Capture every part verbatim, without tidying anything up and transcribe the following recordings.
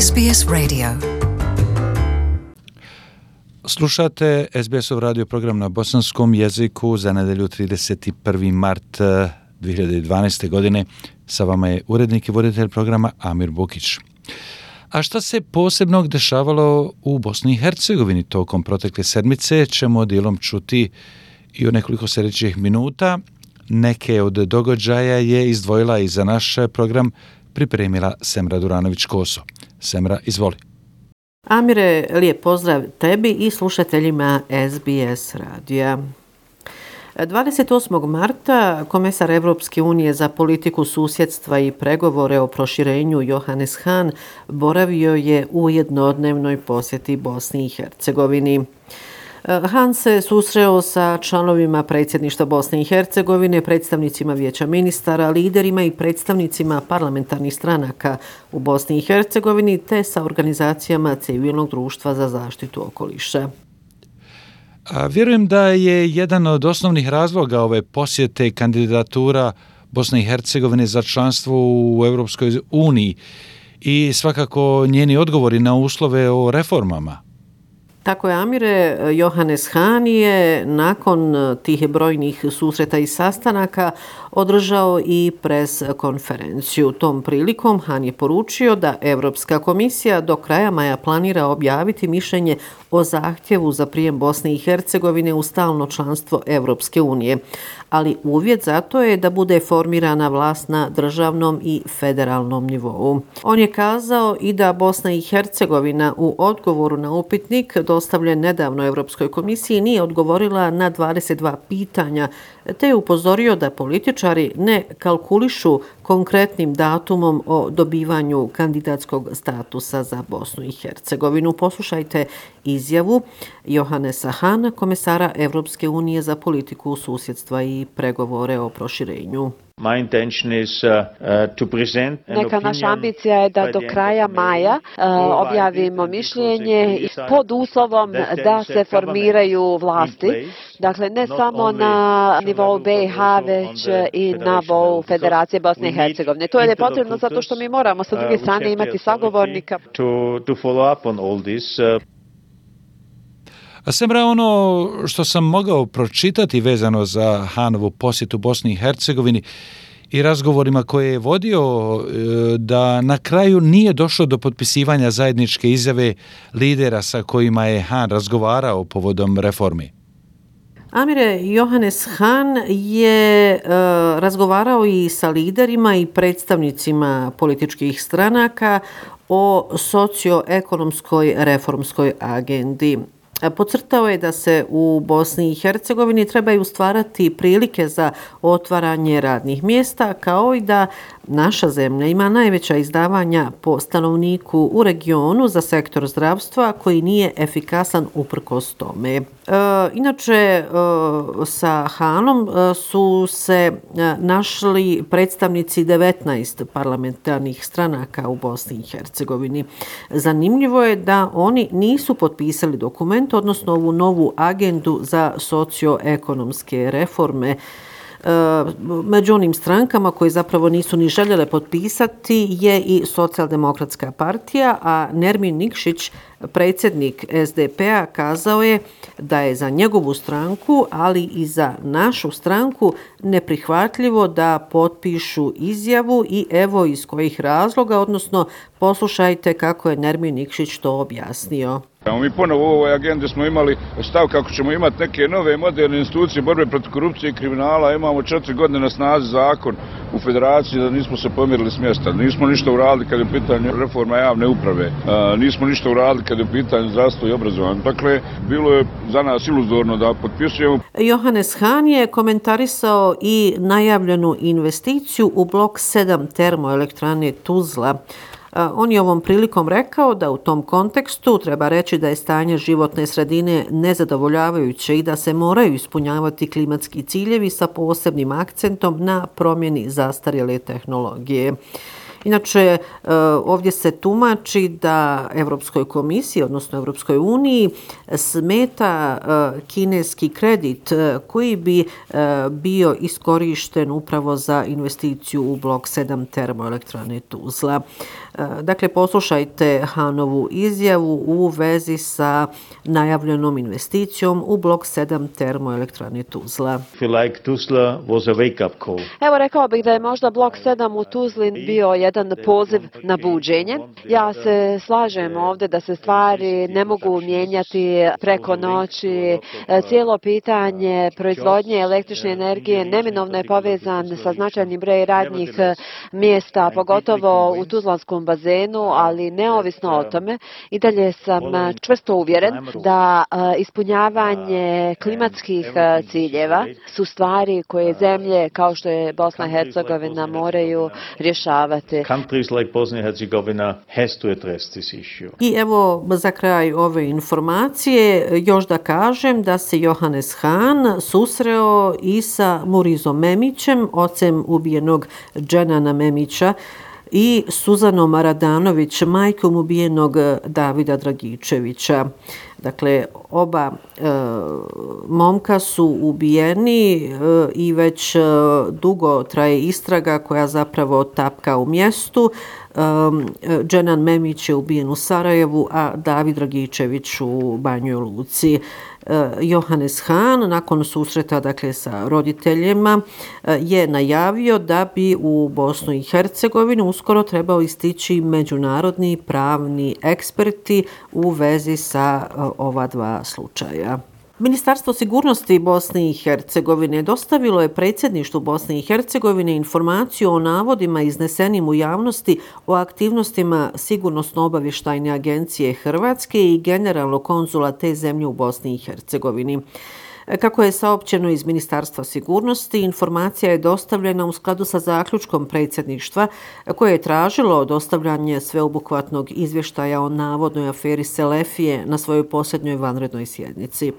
S B S Radio. Slušate S B S-ov radio program na bosanskom jeziku za nedelju trideset prvi mart dvije hiljade dvanaeste. godine. Sa vama je urednik i voditelj programa Amir Bukić. A šta se posebnog dešavalo u Bosni i Hercegovini tokom protekle sedmice ćemo dijelom čuti i u nekoliko sljedećih minuta. Neke od događaja je izdvojila i za naš program pripremila Semra Duranović-Koso. Semra, izvoli. Amire, lijep pozdrav tebi i slušateljima S B S radija. dvadeset osmog marta komesar Evropske unije za politiku susjedstva i pregovore o proširenju Johannes Hahn boravio je u jednodnevnoj posjeti Bosni i Hercegovini. Hahn se susreo sa članovima predsjedništva Bosne i Hercegovine, predstavnicima vijeća ministara, liderima i predstavnicima parlamentarnih stranaka u Bosni i Hercegovini te sa organizacijama civilnog društva za zaštitu okoliša. A vjerujem da je jedan od osnovnih razloga ove posjete kandidatura Bosne i Hercegovine za članstvo u Europskoj uniji i svakako njeni odgovori na uslove o reformama. Tako je, Amire. Johannes Hahn je nakon tih brojnih susreta i sastanaka održao i pres konferenciju. Tom prilikom Hahn je poručio da Europska komisija do kraja maja planira objaviti mišljenje o zahtjevu za prijem Bosne i Hercegovine u stalno članstvo Europske unije, ali uvjet za to je da bude formirana vlast na državnom i federalnom nivou. On je kazao i da Bosna i Hercegovina u odgovoru na upitnik dostavljen nedavno Europskoj komisiji nije odgovorila na dvadeset dva pitanja, te je upozorio da političari ne kalkulišu konkretnim datumom o dobivanju kandidatskog statusa za Bosnu i Hercegovinu. Poslušajte izjavu Johannesa Hahna, komesara Evropske unije za politiku susjedstva i pregovore o proširenju. My intention is uh, uh, to present an Neka naša ambicija je da do kraja maja uh, objavimo mišljenje pod uslovom da se formiraju vlasti. Dakle, ne samo na nivou B i H, već i na nivou Federacije Bosne i Hercegovine. To je potrebno zato što mi moramo sa druge strane imati sagovornika. To, to follow up on all this. Uh, A Semra, ono što sam mogao pročitati vezano za Hahnovu posjetu Bosni i Hercegovini i razgovorima koje je vodio, da na kraju nije došlo do potpisivanja zajedničke izjave lidera sa kojima je Hahn razgovarao povodom reformi. Amire, Johannes Hahn je uh, razgovarao i sa liderima i predstavnicima političkih stranaka o socioekonomskoj reformskoj agendi. Podcrtao je da se u Bosni i Hercegovini trebaju stvarati prilike za otvaranje radnih mjesta, kao i da naša zemlja ima najveća izdavanja po stanovniku u regionu za sektor zdravstva koji nije efikasan uprkos tome. E, inače, e, sa Hahnom e, su se e, našli predstavnici devetnaest parlamentarnih stranaka u Bosni i Hercegovini. Zanimljivo je da oni nisu potpisali dokument, odnosno ovu novu agendu za socioekonomske reforme. Među onim strankama koje zapravo nisu ni željele potpisati je i Socijaldemokratska partija, a Nermin Nikšić, predsjednik S D P-a, kazao je da je za njegovu stranku, ali i za našu stranku neprihvatljivo da potpišu izjavu i evo iz kojih razloga, odnosno poslušajte kako je Nermin Nikšić to objasnio. Mi ponovo u ovoj agendi smo imali stav kako ćemo imati neke nove moderne institucije borbe protiv korupcije i kriminala. Imamo četiri godine na snazi zakon u federaciji da nismo se pomirili s mjesta. Nismo ništa uradili kad je u pitanju reforma javne uprave. Nismo ništa uradili kad je u pitanju zdravstvo i obrazovanje. Dakle, bilo je za nas iluzorno da potpisujemo. Johannes Hahn je komentarisao i najavljenu investiciju u blok sedam termoelektrane Tuzla. On je ovom prilikom rekao da u tom kontekstu treba reći da je stanje životne sredine nezadovoljavajuće i da se moraju ispunjavati klimatski ciljevi sa posebnim akcentom na promjeni zastarjele tehnologije. Inače, ovdje se tumači da Europskoj komisiji, odnosno Europskoj uniji, smeta kineski kredit koji bi bio iskorišten upravo za investiciju u blok sedam termoelektrane Tuzla. Dakle, poslušajte Hanovu izjavu u vezi sa najavljenom investicijom u blok sedam termoelektrane Tuzla. Evo, rekao bih da je možda blok sedam u Tuzli bio jedan poziv na buđenje. Ja se slažem ovdje da se stvari ne mogu mijenjati preko noći. Cijelo pitanje proizvodnje električne energije neminovno je povezan sa značajnim brojem radnih mjesta, pogotovo u Tuzlanskom bazenu, ali neovisno o tome, i dalje sam čvrsto uvjeren da ispunjavanje klimatskih ciljeva su stvari koje zemlje kao što je Bosna i Hercegovina moraju rješavati. I evo, za kraj ove informacije još da kažem da se Johannes Hahn susreo i sa Murizom Memićem, ocem ubijenog Dženana Memića, i Suzanom Radanović, majkom ubijenog Davida Dragičevića. Dakle, oba e, momka su ubijeni e, i već e, dugo traje istraga koja zapravo tapka u mjestu. E, Dženan Memić je ubijen u Sarajevu, a David Dragičević u Banjoj Luci. Johannes Hahn nakon susreta dakle sa roditeljima je najavio da bi u Bosnu i Hercegovinu uskoro trebao istići međunarodni pravni eksperti u vezi sa ova dva slučaja. Ministarstvo sigurnosti Bosne i Hercegovine dostavilo je predsjedništvu Bosne i Hercegovine informaciju o navodima iznesenim u javnosti o aktivnostima Sigurnosno-obavještajne agencije Hrvatske i generalnog konzula te zemlje u Bosni i Hercegovini. Kako je saopćeno iz Ministarstva sigurnosti, informacija je dostavljena u skladu sa zaključkom predsjedništva koje je tražilo dostavljanje sveobuhvatnog izvještaja o navodnoj aferi Selefije na svojoj posljednjoj vanrednoj sjednici.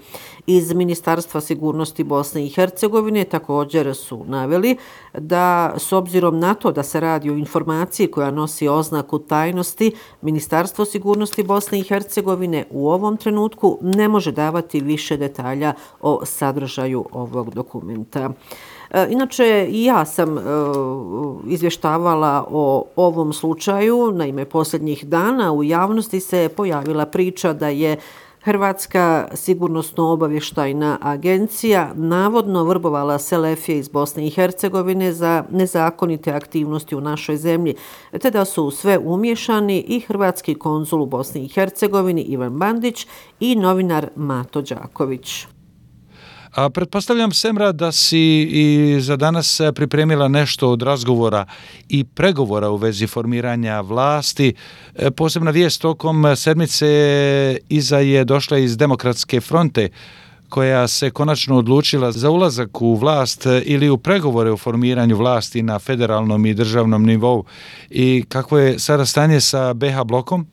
Iz Ministarstva sigurnosti Bosne i Hercegovine također su naveli da s obzirom na to da se radi o informaciji koja nosi oznaku tajnosti, Ministarstvo sigurnosti Bosne i Hercegovine u ovom trenutku ne može davati više detalja o sadržaju ovog dokumenta. Inače, i ja sam izvještavala o ovom slučaju. Naime, posljednjih dana u javnosti se pojavila priča da je Hrvatska sigurnosno-obavještajna agencija navodno vrbovala Selefije iz Bosne i Hercegovine za nezakonite aktivnosti u našoj zemlji, te da su sve umiješani i hrvatski konzul u Bosni i Hercegovini Ivan Bandić i novinar Mato Đaković. A pretpostavljam, Semra, da si i za danas pripremila nešto od razgovora i pregovora u vezi formiranja vlasti. Posebna vijest tokom sedmice iza je došla iz Demokratske fronte, koja se konačno odlučila za ulazak u vlast ili u pregovore o formiranju vlasti na federalnom i državnom nivou. I kako je sada stanje sa be ha blokom?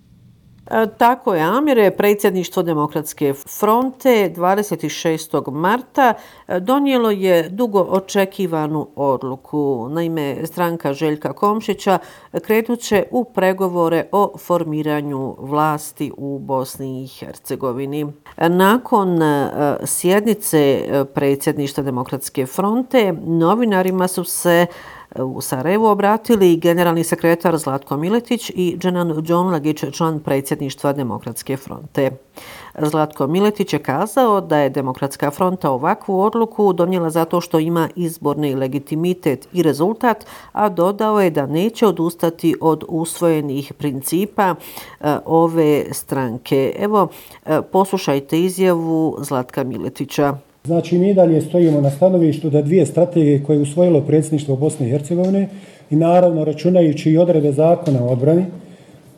Tako je, Amire. Predsjedništvo Demokratske fronte dvadeset šestog marta donijelo je dugo očekivanu odluku. Naime, stranka Željka Komšića krenut će u pregovore o formiranju vlasti u Bosni i Hercegovini. Nakon sjednice predsjedništva Demokratske fronte novinarima su se u Sarajevu obratili generalni sekretar Zlatko Miletić i Dženan Đonlagić, član predsjedništva Demokratske fronte. Zlatko Miletić je kazao da je Demokratska fronta ovakvu odluku donijela zato što ima izborni legitimitet i rezultat, a dodao je da neće odustati od usvojenih principa ove stranke. Evo, poslušajte izjavu Zlatka Miletića. Znači, mi dalje stojimo na stanovištu da dvije strategije koje je usvojilo predsjedništvo Bosne i Hercegovine i naravno računajući i odredbe zakona o odbrani,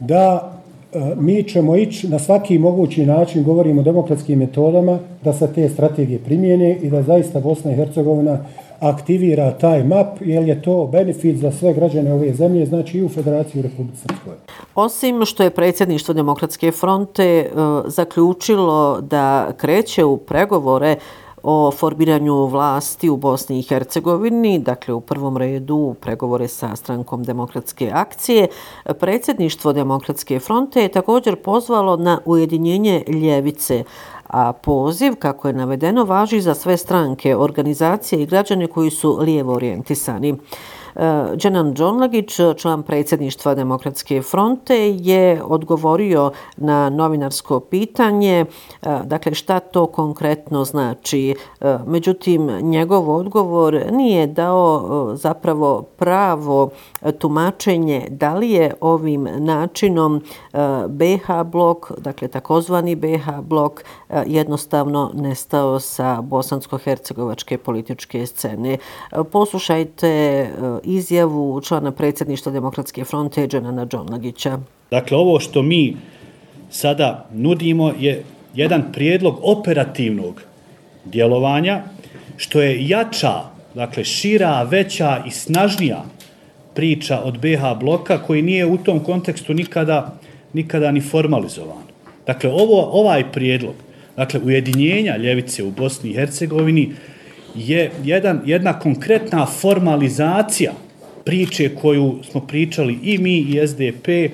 da e, mi ćemo ići na svaki mogući način, govorimo o demokratskim metodama, da se te strategije primijene i da zaista Bosna i Hercegovina aktivira taj map, jer je to benefit za sve građane ove zemlje, znači i u Federaciji u Republici Srpskoj. Osim što je predsjedništvo Demokratske fronte e, zaključilo da kreće u pregovore o formiranju vlasti u Bosni i Hercegovini, dakle u prvom redu pregovore sa strankom Demokratske akcije, predsjedništvo Demokratske fronte je također pozvalo na ujedinjenje ljevice, a poziv, kako je navedeno, važi za sve stranke, organizacije i građane koji su lijevo orijentisani. Dženan Džonlagić, član predsjedništva Demokratske fronte, je odgovorio na novinarsko pitanje, dakle šta to konkretno znači. Međutim, njegov odgovor nije dao zapravo pravo tumačenje da li je ovim načinom be ha blok, dakle takozvani be ha blok, jednostavno nestao sa bosansko-hercegovačke političke scene. Poslušajte izjavu člana predsjedništva Demokratske fronte Dženana Džonlagića. Dakle, ovo što mi sada nudimo je jedan prijedlog operativnog djelovanja, što je jača, dakle šira, veća i snažnija priča od be ha bloka, koji nije u tom kontekstu nikada, nikada ni formalizovan. Dakle, ovo, ovaj prijedlog, dakle, ujedinjenja ljevice u Bosni i Hercegovini je jedan, jedna konkretna formalizacija priče koju smo pričali i mi i es de pe,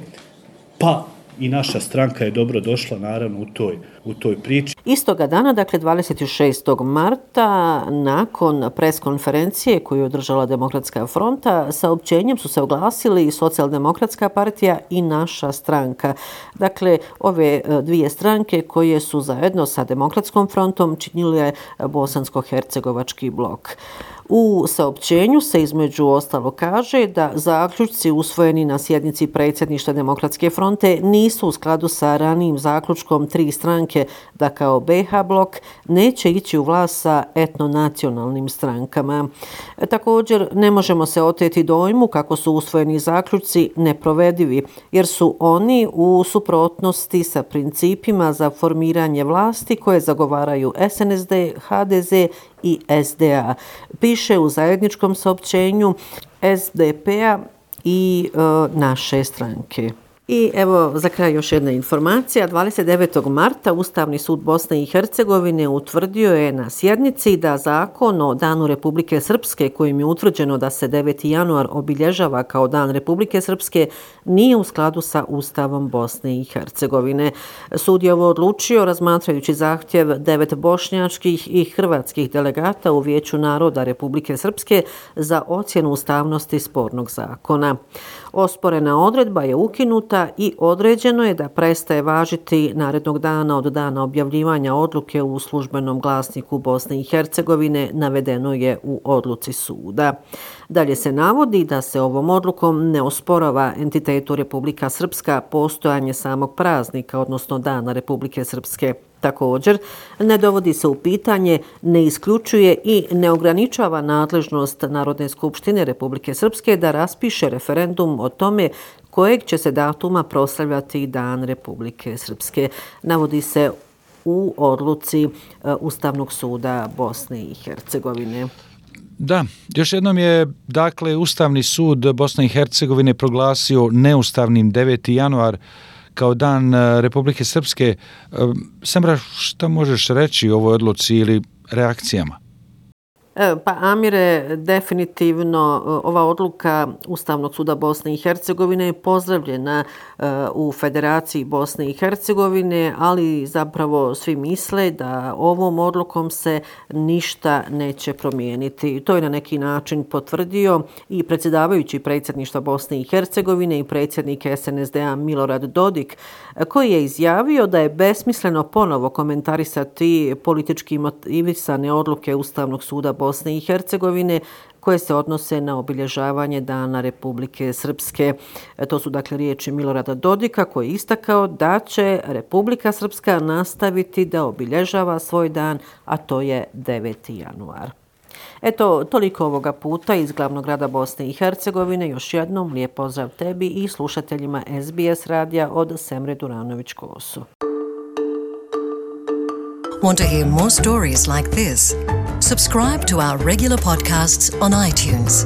pa i naša stranka je dobro došla naravno u toj, u toj priči. Istoga dana, dakle dvadeset šestog marta, nakon preskonferencije koju je održala Demokratska fronta, saopćenjem su se oglasili i Socijaldemokratska partija i naša stranka. Dakle, ove dvije stranke koje su zajedno sa Demokratskom frontom činile bosansko-hercegovački blok. U saopćenju se između ostalo kaže da zaključci usvojeni na sjednici predsjedništva Demokratske fronte nisu u skladu sa ranijim zaključkom tri stranke da kao be ha blok neće ići u vlast sa etnonacionalnim strankama. Također ne možemo se oteti dojmu kako su usvojeni zaključci neprovedivi jer su oni u suprotnosti sa principima za formiranje vlasti koje zagovaraju es en es de, ha de ze i es de a. Piše u zajedničkom saopćenju es de pe-a i e, naše stranke. I evo za kraj još jedna informacija. dvadeset devetog marta Ustavni sud Bosne i Hercegovine utvrdio je na sjednici da zakon o Danu Republike Srpske, kojim je utvrđeno da se deveti januar obilježava kao Dan Republike Srpske, nije u skladu sa Ustavom Bosne i Hercegovine. Sud je ovo odlučio razmatrajući zahtjev devet bošnjačkih i hrvatskih delegata u Vijeću naroda Republike Srpske za ocjenu ustavnosti spornog zakona. Osporena odredba je ukinuta i određeno je da prestaje važiti narednog dana od dana objavljivanja odluke u službenom glasniku Bosne i Hercegovine, navedeno je u odluci suda. Dalje se navodi da se ovom odlukom ne osporava entitetu Republika Srpska postojanje samog praznika, odnosno Dana Republike Srpske. Također, ne dovodi se u pitanje, ne isključuje i ne ograničava nadležnost Narodne skupštine Republike Srpske da raspiše referendum o tome kojeg će se datuma proslavljati Dan Republike Srpske. Navodi se u odluci Ustavnog suda Bosne i Hercegovine. Da, još jednom je dakle Ustavni sud Bosne i Hercegovine proglasio neustavnim deveti januar kao Dan Republike Srpske. Semra, šta možeš reći o ovoj odluci ili reakcijama? Pa Amire, definitivno ova odluka Ustavnog suda Bosne i Hercegovine je pozdravljena u Federaciji Bosne i Hercegovine, ali zapravo svi misle da ovom odlukom se ništa neće promijeniti. To je na neki način potvrdio i predsjedavajući predsjedništva Bosne i Hercegovine i predsjednik es en es de a Milorad Dodik, koji je izjavio da je besmisleno ponovo komentarisati politički motivisane odluke Ustavnog suda Bosne i Hercegovine koje se odnose na obilježavanje Dana Republike Srpske. To su dakle riječi Milorada Dodika koji je istakao da će Republika Srpska nastaviti da obilježava svoj dan, a to je deveti januar. Eto, toliko ovoga puta iz glavnog grada Bosne i Hercegovine. Još jednom lijep pozdrav tebi i slušateljima es be es radija od Semre Duranović-Kosu. Want to hear more stories like this? Subscribe to our regular podcasts on iTunes.